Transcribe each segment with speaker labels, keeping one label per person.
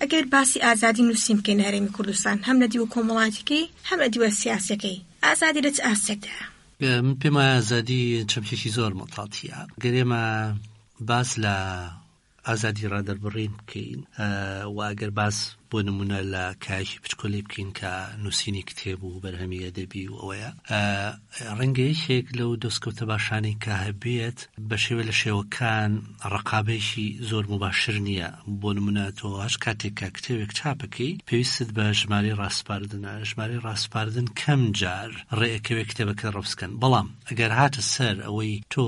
Speaker 1: ئەگەر باسی ئازادی نووسین بکەین لە هەرێمی کوردستان هەم لە دیوە کۆمەڵایەتیەکەی هەم لە دیوە سیاسیەکەی ئازادی لە چ ئاستێکدایە؟
Speaker 2: من پێم وایە ئازادی چەمکێکی زۆر مەتاتیە. گەر ئێمە باس لە ئازادی ڕادەربڕین بکەین و ئەگەر باس بۆ نمونە لە کایەکی پچکۆلەی بکەین کە نووسینی کتێب و بەرهەمی ئەدەبی و ئەوەیە ڕەنگە یەکێک لەو دەستکەوتە باشانەی کە هەبێت بە شێوە لە شێوەکان ڕقابێکی زۆر مباشر نییە بۆ نمونە تۆ هەش کاتێک کە کتێبێک چاپەکەی پێویستت بە ژمارەی ڕاسپاردنە ژمارەی ڕاسپاردن کەم جار ڕێئەکەوێ کتێبەکە ڕەفزکەن بەڵام ئەگەر هاتە سەر ئەوەی تۆ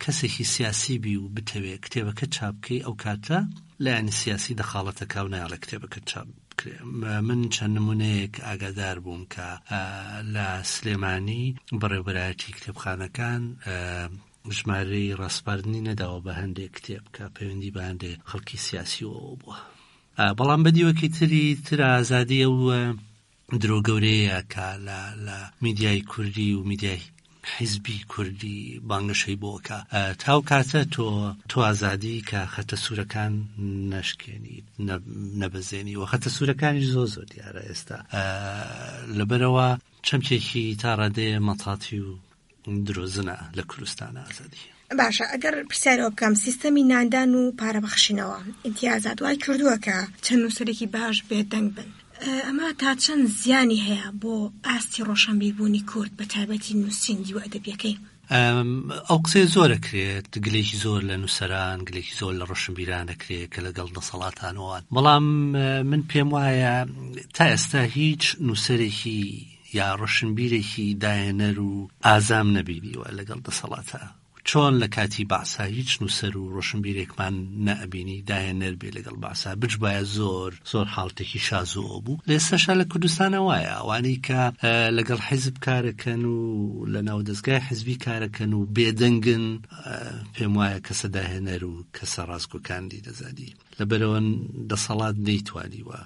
Speaker 2: کەسێکی سیاسی بی و بتەوێ کتێبەکەت چاپ بکەی ئەو کاتە لایەنی سیاسی دەخاڵەتەکا و نایەڵێ کتێبەکەت چاپ بکرێ من چەند نمونەیەک ئاگادار بووم کە لە سلێمانی بەڕێوبەرایەتی کتێبخانەکان ژمارەی ڕاسپاردنی نەداوە بە هەندێک کتێب کە پەیوەندی بە هەندێک خەڵکی سیاسیەوە بووە بەڵام بە دیوەکی تری تر ئازادی ئەو درۆ گەورەیە کە لە لە میدیای کوردی و میدیای حیزبی کوردی بانگەشەی بۆ ئەکا تاو کاتە تۆ تۆ ئازادی کە خەتە سوورەکان نەشکێنیت نەبەزێنی و خەتە سوورەکانیش زۆر زۆر دیارە ئێستا لەبەرەوە چەمکێکی تا ڕادەیە مەتاتی و درۆزنە لە کوردستان ئازادی.
Speaker 1: باشە ئەگەر پرسیار ئەوە بکەم سیستەمی ناندان و پارە بەخشینەوە ئیمتیازات وای کردووە کە چەند نووسەرێکی باش بێدەنگ بن ئەمە تا چەند زیانی هەیە بۆ ئاستی ڕۆشنبیربوونی کورد بە تایبەتی نووسین دیوە ئەدەبیەکەی؟
Speaker 2: ئەو قسەیە زۆر ئەکرێت گلێکی زۆر لە نووسەران گلێکی زۆر لە ڕۆشنبیران ئەکرێت کە لەگەڵ دەسەڵاتانەوەن بەڵام من پێم وایە تا ئێستا هیچ نووسەرێکی یا ڕۆشنبیرێکی داهێنەر و ئازام نەبینیوە لەگەڵ دەسەڵاتە. چۆن لە کاتی بەعسا هیچ نووسەر و ڕۆشنبیرێکمان نەئەبینی داهێنەر بێ لەگەڵ بەعسا بچبایە زۆر زۆر حاڵتێکی شازۆ بوو. لە ئێستاشا لە کوردستانا وایە ئەوانەی کە لەگەڵ حیزب کارەکەن و لە ناو دەزگای حیزبی کارەکەن و بێدەنگن پێم وایە کەسە داهێنەر و کەسە ڕاستگۆکانی دەزانی. لەبەرئەوە دەسەڵات نەیتوانیوە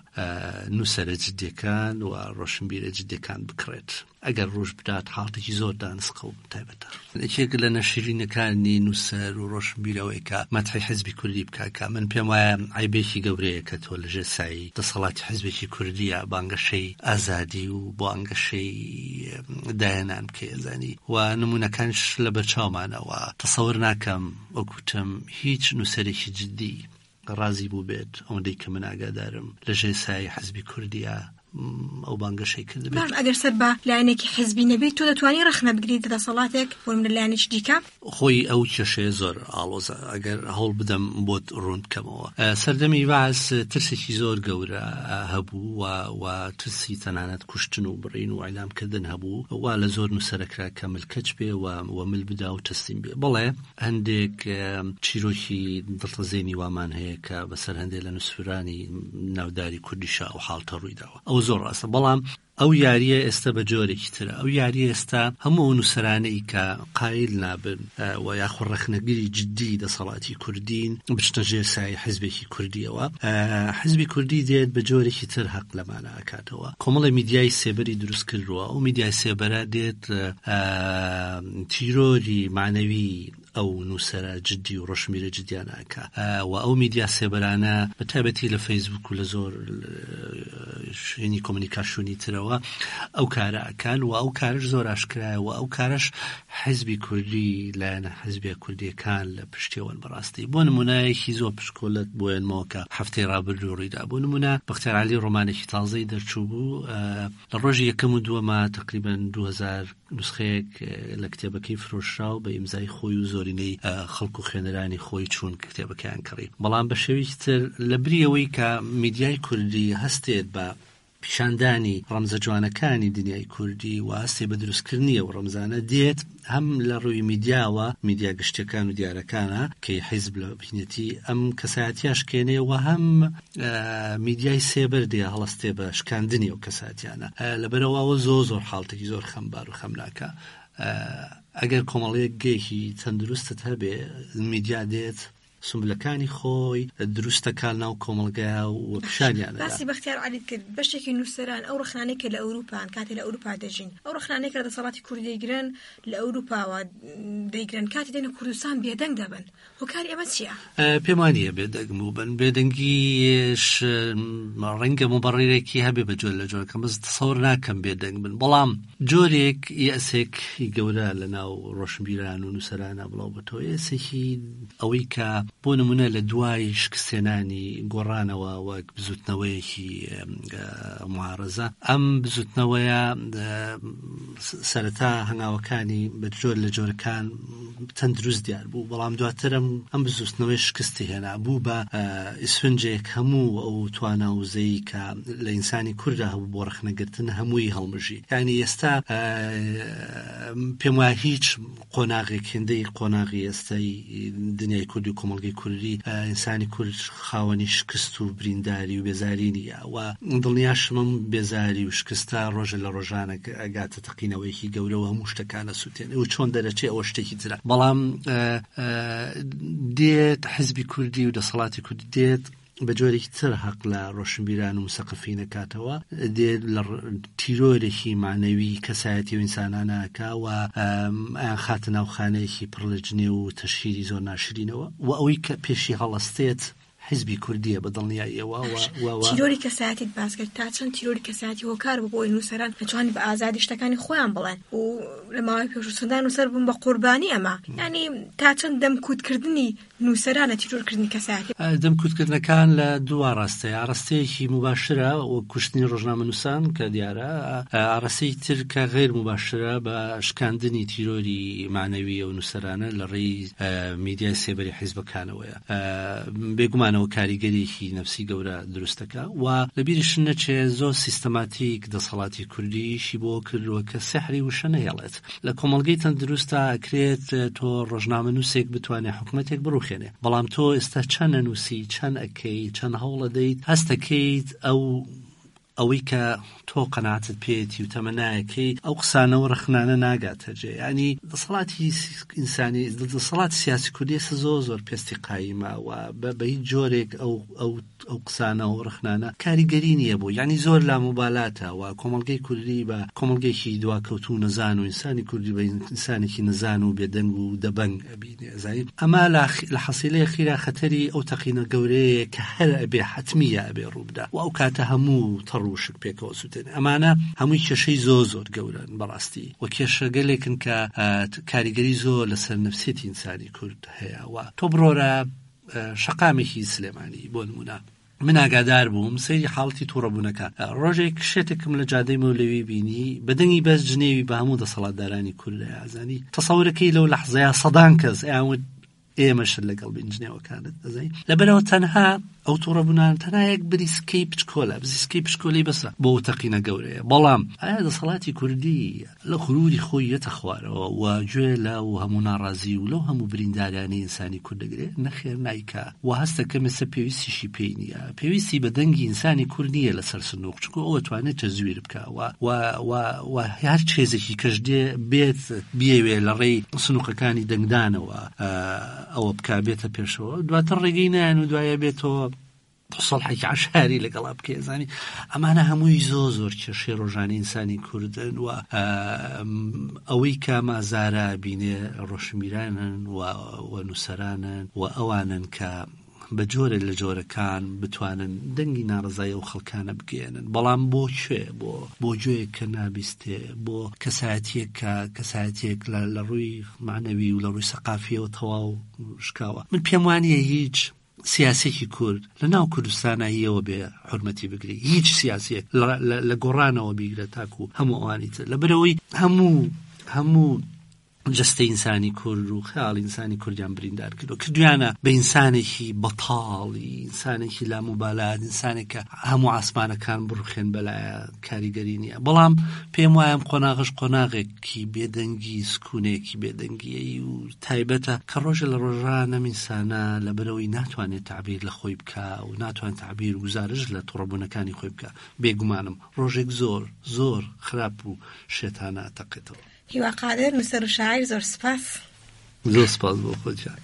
Speaker 2: نووسەرە جدیەکان و ڕۆشنبیرە جدیەکان بکڕێت. ئەگەر ڕووش بدات حاڵتێکی زۆر دانسقە و تایبەتە. یەکێک لە نەشیرینەکانی نووسەر و ڕۆشنبیر ئەوەیە کە مەدحی حیزبی کوردی بکا کە من پێم وایە عەیبێکی گەورەیە کە تۆ لەژێر سایەی دەسەڵاتی حیزبێکی کوردییا بانگەشەی ئازادی و بانگەشەی داهێنان بکەی ئەزانی و نموونەکانیش لەبەرچاومانە و تەسەور ناکەم وەک وتم هیچ نووسەرێکی جدی ڕازی بووبێت ئەوەندەی کە من ئاگادارم لە ژێر سایەی حزبی کوردیا ئەو بانگەشەی کردبێت.
Speaker 1: باش ئەگەر سەر بە لایەنێکی حزبی نەبیت تۆ دەتوانی ڕەخنە بگریت لە دەسەڵاتێک بۆ نمونە لایەنێکی دیکە؟
Speaker 2: خۆی ئەو کێشەیە زۆر ئاڵۆزە ئەگەر هەوڵ بدەم بۆت ڕوون بکەمەوە. سەردەمی بەعس ترسێکی زۆر گەورە هەبوو و و ترسی تەنانەت کوشتن و بڕین و ئیعدام کردن هەبوو وا لە زۆر نووسەر ئەکرا کە ملکەچ بێ و و مل بدا و تەسلیم بێ. بەڵێ هەندێک چیرۆکی دڵتەزێنی وامان هەیە کە بەسەر هەندێک لە نووسرانی ناوداری کوردیشا ئەو حاڵتە ڕووی داوە. ئەوە زۆر ڕاستە بەڵام ئەو یارییە ئێستا بە جۆرێکی ترە. ئەو یارییە ئێستا هەموو ئەو نووسەرانەی کە قایل نابن و یاخۆ ڕەخنەگری جددی دەسەڵاتی کوردین بچنە ژێر سایەی حیزبێکی کوردییەوە، حیزبی کوردی دێت بە جۆرێکی تر هەق لەمانە ئەکاتەوە. کۆمەڵێ میدیای سێبەری دروست کردووە، ئەو میدیای سێبەرە دێت تیرۆری مەعنەوی ئەو نووسەرە جدی و ڕۆشنبیرە جدیانە ئەکا و ئەو میدیا سێبەرانە بە تایبەتی لە فەیسبوک و لە زۆر شوێنی کۆمۆنیکاسیۆنی ترەوە ئەو کارە ئەکان و ئەو کارش زۆر ئاشکرایە و ئەو کارش حزبی کوردی لایەنە حزبیە کوردیەکان لە پشتیەوەن بەڕاستی بۆ نمونایەکی زۆر پشکۆلت بۆ ێنمەوە کە هەفتەی ڕابردوو ڕوویدا بۆ نمونە بەختیار عەلی ڕۆمانێکی تازەی دەرچوو بوو لە ڕۆژی یەکەم و دووەما تقریبا 2000 نوسخەیەک لە کتێبەکەی فرۆشرا و بە ئیمزای خۆی و زۆرینەی خەڵک و خوێنەرانی خۆی چوون کتێبەکەیان کڕی بەڵام بە شێوەیەکی تر لە بری ئەوەی کە میدیای کوردی هەستێت بە پیشاندانی ڕەمزە جوانەکانی دنیای کوردی و هەستێ بە دروستکردنی ئەو ڕەمزانە دێت هەم لە ڕووی میدیاوە میدیا گشتیەکان و دیارەکانە کەی حیزب لە بینێتی ئەم کەسایەتیە شکێنێ و هەم میدیای سێبەر دێ هەڵەستێ بە شکاندنی ئەو کەساتیانە لەبەرەوە ئەوە زۆر زۆر حاڵتێکی زۆر خەمبار و خەمناکە ئەگەر کۆمەڵەیەک گەیەکی تەندروستت هەبێ میدیا دێت. سومبلەکانی خۆی دروست دەکا لەناو کۆمەڵگا و پیشانیان ئەدا.
Speaker 1: باسی بەختیار عەلیت کرد، بەشێکی نووسەران ئەو ڕەخنانەی کە لە ئەوروپان، کاتێ لە ئەوروپا دەژین، ئەو ڕەخنانەی کە لە دەسەڵاتی کورد دەیگرن لە ئەوروپاوە دەیگرن، کاتێ دێنە کوردستان بێدەنگ دەبن، هۆکاری ئەمە چییە؟
Speaker 2: پێم وا نییە بێدەنگ بووبن، بێدەنگیش ڕەنگە موبەڕیرێکی هەبێ بە جۆر لە جۆرەکان، بەس تەسەور ناکەم بێدەنگ بن، بەڵام جۆرێک یەئسێک گەورە لە ناو ڕۆشنبیران و نووسەرانە بڵاو بۆتەوە، یەئسێکی ئەوەی کە بۆ نموونە لە دوای شکستهێنانی گۆڕانەوە وەک بزووتنەوەیەکی معارەزە، ئەم بزووتنەوەیە سەرەتا هەنگاوەکانی بە جۆر لە جۆرەکان تەندروست دیار بوو، بەڵام دواتر ئەم بزووتنەوەی شکستی هێنا، بوو بە ئیسفنجێک هەموو ئەو توانا و وزەی کە لە ئینسانی کوردا هەبوو بۆ ڕەخنەگرتن هەمووی هەڵمژی. یانی ئێستا پێم وایە هیچ قۆناغێک هێندەی قۆناغی ئێستای دنیای کوردی و کۆمەڵگەی کوردی ئینسانی کورد خاوەنی شکست و برینداری و بێزاری نییە و دڵنیاشم ئەم بێزاری و شکستە ڕۆژە لە ڕۆژانە ئەگاتە تەقینەوەیەکی گەورە و هەموو شتەکان ئەسووتێنێ و چۆن دەرەچێ ئەوە شتێکی ترە بەڵام دێت حزبی کوردی و دەسەڵاتی کوردی دێت بە جۆرێکی تر هەق لە ڕۆشنبیران و مسەقفین ئەکاتەوە، دێت لە تیرۆرێکی مەعنەوی کەسایەتی و ئینسانانە ئەکا و ئەیانخاتە ناو خانەیەکی پڕ لە جنێو و تەشهیری زۆر ناشرینەوە و ئەوەی کە پێشی هەڵەستێت حیزبی کوردییە بە دڵنیاییەوە و
Speaker 1: و تیرۆری کەسایەتیت باس کرد، تا چەند تیرۆری کەسایەتی هۆکار بوو بۆ ئەوەی نووسەران نەتوانن بە ئازادی شتەکانی خۆیان بڵێن و لە ماوەی پێشوو چەندان نووسەر بوون بە قوربانی ئەمە، یانی تا چەند دەمکوتکردنی نووسەرانە تیرۆرکردنی کەسایەتی.
Speaker 2: دەمکوتکردنەکان لە دوو ئاڕاستەیە، ئاڕاستەیەکی موباشرە وەک کوشتنی ڕۆژنامەنووسان کە دیارە، ئاڕاستەیەکی تر کە غەیر موباشرە بە شکاندنی تیرۆری مەعنەوی ئەو نووسەرانە لە ڕێی میدیای سێبەری حیزبەکانەوەیە. بێگومان ئەوە کاریگەریەکی نەفسی گەورە دروست دەکا و لە بیریشت نەچێ زۆر سیستەماتیک دەسەڵاتی کوردی ئیشی بۆ کردووە کە سیحری وشە نەهێڵێت. لە کۆمەڵگەی تەندروستا ئەکرێت تۆ ڕۆژنامەنووسێک بتوانێ حکومەتێک بڕوخێنێ بەڵام تۆ ئێستا چەند ئەنووسی چەند ئەکەی چەند هەوڵەدەیت هەستەکەیت ئەو ئەوەی کە تۆ قەناعەتت پێیەتی و تەمەنایەکەی ئەو قسانە و ڕەخنانە ناگاتە جێ ینی دەسەڵاتی ئینسانی دەسەڵاتی سیاسی کوردی ئێستا زۆر زۆر پێستی قایمە و بە هیچ جۆرێک ئەو ئەو ئەو قسانە و ڕەخنانە کاریگەری نییە بۆ یانی زۆر لاموبالاتە و کۆمەڵگەی کوردی بە کۆمەڵگەیەکی دواکەوتوو و نەزان و ئینسانی کوردی بە ئینسانێکی نەزان و بێدەنگ و دەبەنگ ئەبینێ ئەزانی ئەمە لە لە حەسیلەی خیرا خەتەری ئەو تەقینە گەورەیە کە هەر ئەبێ حەتمیە ئەبێ ڕووبدا و ئەو کاتە هەموو تەڕ و وشک پێکەوە سووتێنێ ئەمانە هەمووی کێشەی زۆر زۆر گەورەن بەڕاستی و کێشەگەلێکن کە کاریگەری زۆر لەسەر نفسیەتی ئینسانی کورد هەیە و تۆ بڕۆرە شەقامێکی سلێمانی بۆ نمونە من ئاگادار بووم سەیری حاڵەتی توڕەبوونەکان ڕۆژێک شێتێکم لە جادەی مەولەوی بینی بە دەنگی بەس جنێوی بە هەموو دەسەڵاتدارانی کورد ئازانی تەسەورەکەی لەو لەحزەیە سەدان کەس ئەیان ئێمەشت لەگەڵ بین جنێوەکانت ئەزانی لەبەرەوە تەنها ئەو توڕەبوونان تەنها یەک بریسکەی پچکۆلە بزیسکەی پشکۆلی بەسە بۆ تەقینە گەورەیە بەڵام ئایا دەسەڵاتی کوردی لە غروری خۆی یەتە خوارەوە و گوێ لە و هەموو ناڕازی و لەو هەموو بریندارانەی ئینسانی کورد دەگرێ؟ نەخێر نایکا و هەست دەکەم ئێستا پێویستیشی پێی نییە. پێویستی بە دەنگی ئینسانی کورد نییە لە سەر سندوق چونکو ئەو ئەتوانێ تەزویر بکا و و و و هەر چێزێکی کەش دێ بێت بیەوێ لە ڕێی سندوقەکانی دەنگدانەوە ئەوە بکا بێتە پێشەوە دواتر ڕێگەی نایەن و دوایە بێتەوە سەڵحێکی عەشاری لەگەڵا بکەی ئەزانی ئەمانە هەمووی زۆ زۆر کێشەی ڕۆژانی ئینسانی کوردن و ئەوەی کە مازارە بینێ ڕۆشنبیرانن و و نووسەرانن و ئەوانن کە بە جۆرێک لە جۆرەکان بتوانن دەنگی ناڕزای ئەو خەڵکانە بگەێنن بەڵام بۆ کوێ بۆ بۆ گوێیەک کە نابیستێ بۆ کەسایەتیەک کە کەسایەتیەک لە ڕووی معنەوی و لە ڕووی سەقافیەوە تەواو شکاوە من پێم وانە هیچ سیاسیەکی کورد لە ناو کوردستانا یەوە بێ حورمەتی بگری هیچ سیاسیەک لە گۆڕانەوە بیگرە تاکو هەموو ئەوانی تر لەبەرەوەی هەموو هەموو جەستەی ئینسانی کورد و خەیاڵی ئینسانی کوردیان بریندار کردو کردویانە بە ئینسانێکی بەتاڵی ئینسانێکی لاموبالات ئینسانێک کە هەموو ئاسمانەکان بڕوخێن بەلایە کاریگەری نییە بەڵام پێم وایە ئەم قۆناغەش قۆناغێکی بێدەنگی سکونێکی بێدەنگیی و تایبەتە کە ڕۆژێ لە ڕۆژان ئەم ئینسانە لەبەرئەوەی ناتوانێت تەعبیر لە خۆی بکا و ناتوانێت تەعبیر و گوزارشت لە توڕەبوونەکانی خۆی بکا بێگومانم ڕۆژێک زۆر زۆر خراپ و شێتانە ئەتەقێتەوە.
Speaker 1: هیوا قادر، نووسەر و شاعیر زۆر سوپاس.
Speaker 2: زۆر سوپاس بۆ خۆت گیان.